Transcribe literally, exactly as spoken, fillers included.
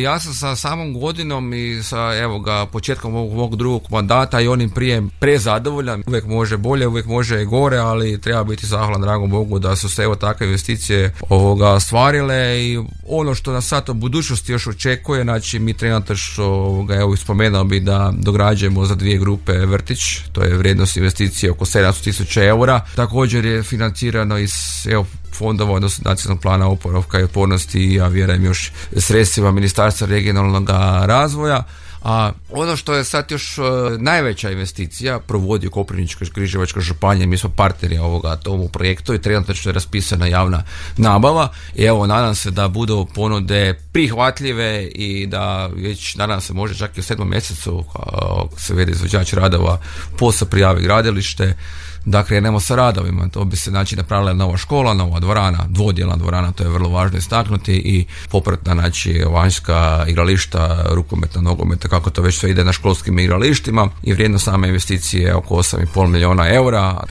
Ja sam sa samom godinom i sa evo ga početkom ovog mog drugog mandata i onim prije prezadovoljan. Uvijek može bolje, uvijek može i gore, ali treba biti zahvalan dragom Bogu da su se evo takve investicije ovoga ostvarile i ono što nas sad u budućnosti još očekuje, znači mi trenutačno ovoga, evo spomenuo bi da dograđujemo za dvije grupe vrtić, to je vrijednost investicije oko sedamsto tisuća eura. Također je financirano iz evo fondova, odnosno nacionalnog plana oporavka i otpornosti i ja vjerujem još sredstvima Ministarstva regionalnog razvoja. A ono što je sad još uh, najveća investicija provodi u Koprivničko-križevačka županija, mi smo partneri ovoga tomu projektu i trenutno je raspisana javna nabava i evo nadam se da budu ponude prihvatljive i da već nadam se može čak i u sedmom mjesecu uh, se vede izvođač radova posao prijavi gradilište da krenemo sa radovima. To bi se znači napravila nova škola, nova dvorana, dvodjelna dvorana, to je vrlo važno istaknuti i popratna znači vanjska igrališta, rukometna, nogometa, kako to već sve ide na školskim igralištima i vrijednost same investicije je oko osam i pol milijuna eura.